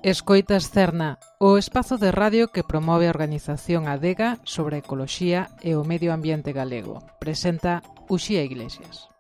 Escoitas Cerna, o espazo de radio que promove a organización Adega sobre a ecoloxía e o medio ambiente galego. Presenta Uxía Iglesias.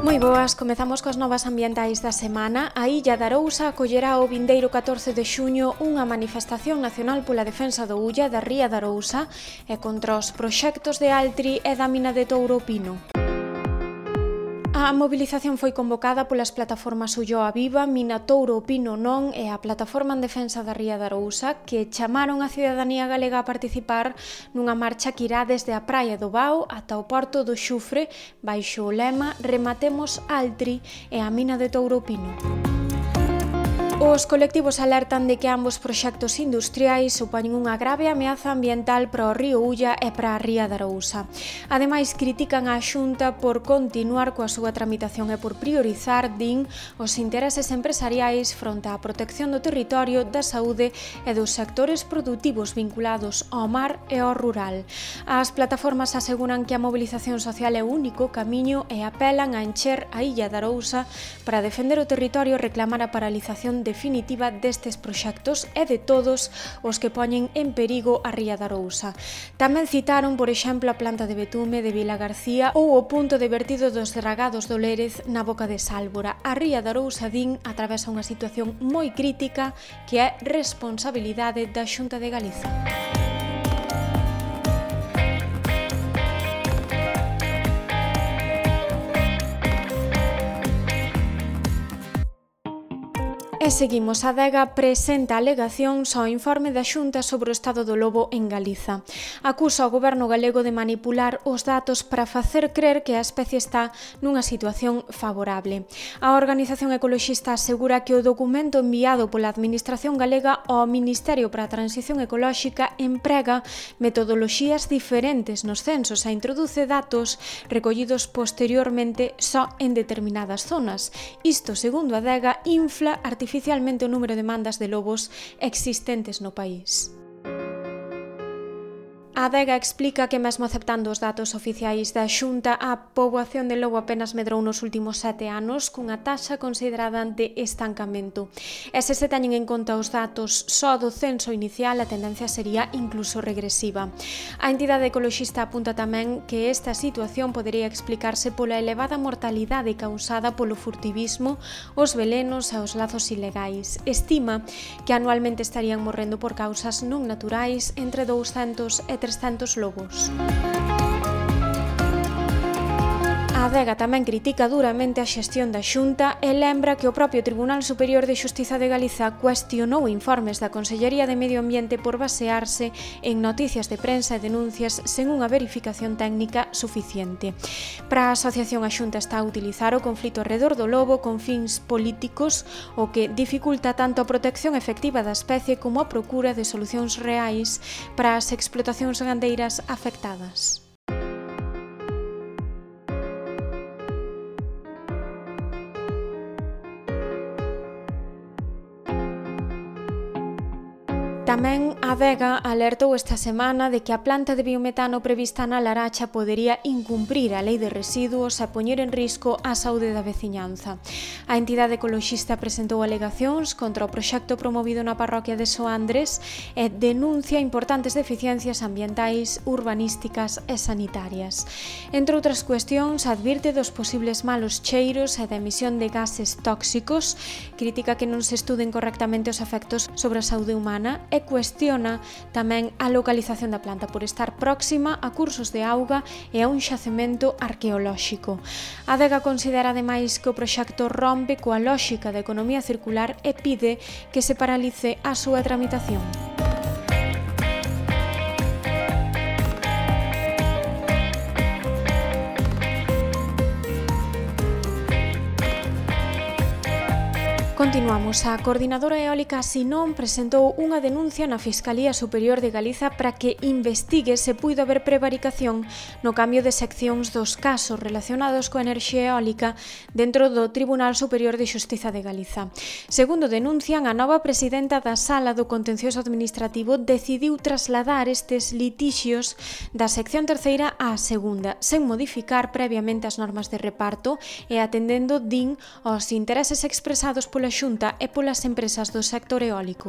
Moi boas, comezamos coas novas ambientais da semana. A Illa de Arousa acollerá o vindeiro 14 de xuño unha manifestación nacional pola defensa do Ulla da Ría de Arousa e contra os proxectos de Altri e da mina de Touro Pino. A mobilización foi convocada polas plataformas Ulloa Viva, Mina Touro Pino Non e a Plataforma en Defensa da Ría de Arousa, que chamaron a cidadanía galega a participar nunha marcha que irá desde a Praia do Bao ata o Porto do Xufre, baixo o lema Rematemos Altri e a mina de Touro Pino. Os colectivos alertan de que ambos proxectos industriais supoñen unha grave ameaza ambiental para o río Ulla e para a Ría de Arousa. Ademais, critican a Xunta por continuar coa súa tramitación e por priorizar, din, os intereses empresariais fronte á protección do territorio, da saúde e dos sectores produtivos vinculados ao mar e ao rural. As plataformas aseguran que a mobilización social é o único camiño e apelan a encher a Illa de Arousa para defender o territorio e reclamar a paralización definitiva destes proxectos e de todos os que poñen en perigo a Ría de Arousa. Tamén citaron, por exemplo, a planta de betume de Vila García ou o punto de vertido dos dragados do Lérez na Boca de Sálvora. A Ría de Arousa, din, atravesa unha situación moi crítica que é responsabilidade da Xunta de Galiza. E seguimos, a Adega presenta alegacións ao informe da Xunta sobre o estado do lobo en Galiza. Acusa o goberno galego de manipular os datos para facer crer que a especie está nunha situación favorable. A organización ecoloxista asegura que o documento enviado pola Administración galega ao Ministerio para a Transición Ecolóxica emprega metodoloxías diferentes nos censos e introduce datos recollidos posteriormente só en determinadas zonas. Isto, segundo a Adega, infla artificialmente o número de mandas de lobos existentes no país. A Adega explica que mesmo aceptando os datos oficiais da Xunta, a poboación de lobo apenas medrou nos últimos 7 anos cunha taxa considerada de estancamento. E se teñen en conta os datos só do censo inicial, a tendencia sería incluso regresiva. A entidade ecoloxista apunta tamén que esta situación podería explicarse pola elevada mortalidade causada polo furtivismo, os velenos e os lazos ilegais. Estima que anualmente estarían morrendo por causas non naturais entre 200 e 300 lobos. A Adega tamén critica duramente a xestión da Xunta e lembra que o propio Tribunal Superior de Xustiza de Galiza cuestionou informes da Consellería de Medio Ambiente por basearse en noticias de prensa e denuncias sen unha verificación técnica suficiente. Para a asociación, a Xunta está a utilizar o conflito arredor do lobo con fins políticos, o que dificulta tanto a protección efectiva da especie como a procura de solucións reais para as explotacións gandeiras afectadas. Tamén a Adega alertou esta semana de que a planta de biometano prevista na Laracha podería incumprir a lei de residuos e poñer en risco a saúde da veciñanza. A entidade ecoloxista presentou alegacións contra o proxecto promovido na parroquia de Soandres e denuncia importantes deficiencias ambientais, urbanísticas e sanitarias. Entre outras cuestións, advirte dos posibles malos cheiros e da emisión de gases tóxicos, critica que non se estuden correctamente os efectos sobre a saúde humana e cuestiona tamén a localización da planta por estar próxima a cursos de auga e a un xacemento arqueolóxico. A Adega considera ademais que o proxecto rompe coa lóxica da economía circular e pide que se paralice a súa tramitación. Continuamos. A Coordinadora Eólica Sinón presentou unha denuncia na Fiscalía Superior de Galiza para que investigue se puido haber prevaricación no cambio de seccións dos casos relacionados coa enerxía eólica dentro do Tribunal Superior de Xustiza de Galiza. Segundo denuncian, a nova presidenta da Sala do Contencioso Administrativo decidiu trasladar estes litixios da sección terceira á segunda, sen modificar previamente as normas de reparto e atendendo, din, aos intereses expresados pola Xunta e polas empresas do sector eólico.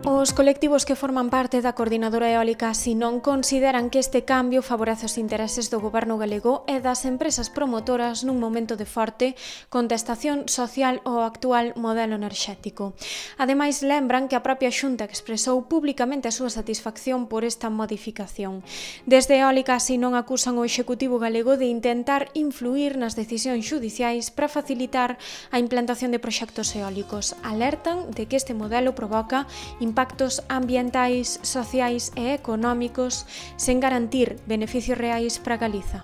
Os colectivos que forman parte da Coordinadora Eólica Sinón consideran que este cambio favorece os intereses do goberno galego e das empresas promotoras nun momento de forte contestación social ao actual modelo enerxético. Ademais, lembran que a propia Xunta expresou públicamente a súa satisfacción por esta modificación. Desde Eólica Sinón acusan o Executivo galego de intentar influir nas decisións xudiciais para facilitar a implantación de proxectos eólicos. Alertan de que este modelo provoca impactos ambientais, sociais e económicos sen garantir beneficios reais para Galiza.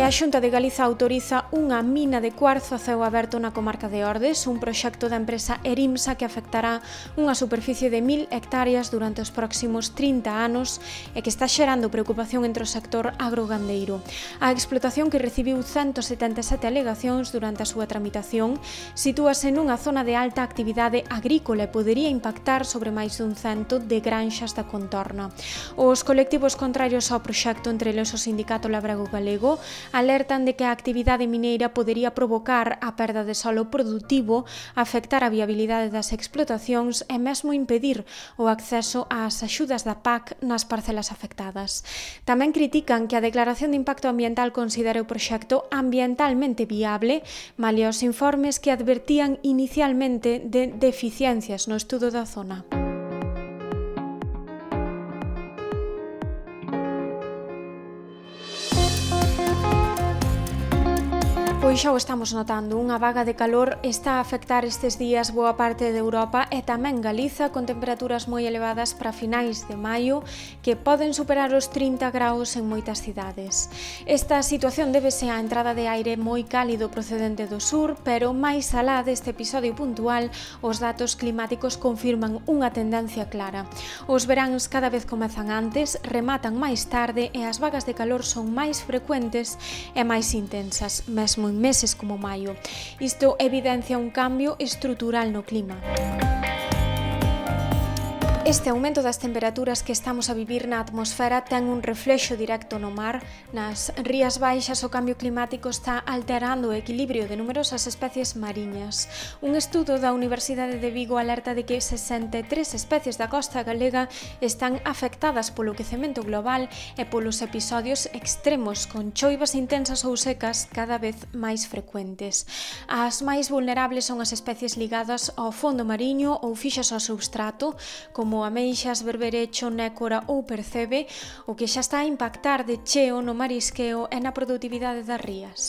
A Xunta de Galiza autoriza unha mina de cuarzo a ceo aberto na comarca de Ordes, un proxecto da empresa Erimsa que afectará unha superficie de 1000 hectáreas durante os próximos 30 anos e que está xerando preocupación entre o sector agrogandeiro. A explotación, que recibiu 177 alegacións durante a súa tramitación, sitúase nunha zona de alta actividade agrícola e podería impactar sobre máis dun cento de granxas da contorna. Os colectivos contrarios ao proxecto, entre eles o Sindicato Labrego Galego, alertan de que a actividade mineira podería provocar a perda de solo produtivo, afectar a viabilidade das explotacións e mesmo impedir o acceso ás axudas da PAC nas parcelas afectadas. Tamén critican que a declaración de impacto ambiental considere o proxecto ambientalmente viable, malia os informes que advertían inicialmente de deficiencias no estudo da zona. Pois xa o estamos notando, unha vaga de calor está a afectar estes días boa parte de Europa e tamén Galiza, con temperaturas moi elevadas para finais de maio que poden superar os 30 graus en moitas cidades. Esta situación débese á entrada de aire moi cálido procedente do sur, pero máis alá deste episodio puntual, os datos climáticos confirman unha tendencia clara. Os veráns cada vez comezan antes, rematan máis tarde e as vagas de calor son máis frecuentes e máis intensas, mesmo en meses como maio. Isto evidencia un cambio estrutural no clima. Este aumento das temperaturas que estamos a vivir na atmosfera ten un reflexo directo no mar. Nas rías baixas o cambio climático está alterando o equilibrio de numerosas especies mariñas. Un estudo da Universidade de Vigo alerta de que 63 especies da costa galega están afectadas polo quecemento global e polos episodios extremos con choivas intensas ou secas cada vez máis frecuentes. As máis vulnerables son as especies ligadas ao fondo mariño ou fixas ao substrato, como ameixas, berberecho, nécora ou percebe, o que xa está a impactar de cheo no marisqueo e na produtividade das rías.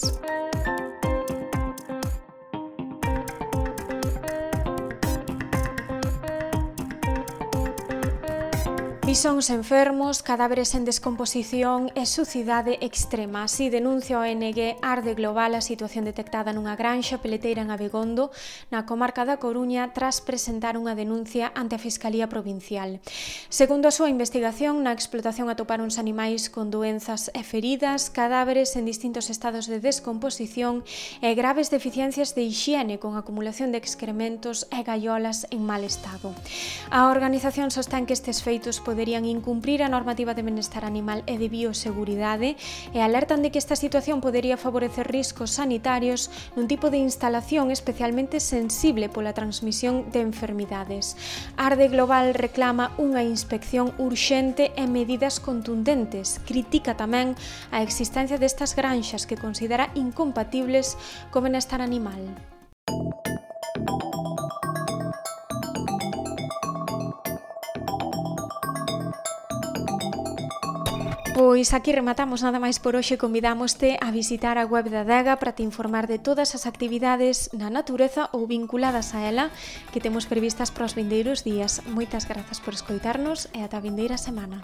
Bisóns enfermos, cadáveres en descomposición e sucidade extrema. Así denuncia o ONG Arde Global a situación detectada nunha granxa peleteira en Abegondo, na comarca da Coruña, tras presentar unha denuncia ante a Fiscalía Provincial. Segundo a súa investigación, na explotación atoparonse animais con doenzas e feridas, cadáveres en distintos estados de descomposición e graves deficiencias de hixiene con acumulación de excrementos e gaiolas en mal estado. A organización sostén que estes feitos poderían incumprir a normativa de benestar animal e de bioseguridade e alertan de que esta situación podería favorecer riscos sanitarios nun tipo de instalación especialmente sensible pola transmisión de enfermidades. Arde Global reclama unha inspección urxente e medidas contundentes. Critica tamén a existencia destas granxas que considera incompatibles co benestar animal. Pois Pois aquí rematamos nada máis por hoxe. Convidámoste a visitar a web da Adega para te informar de todas as actividades na natureza ou vinculadas a ela que temos previstas para os vindeiros días. Moitas grazas por escoitarnos e ata a vindeira semana.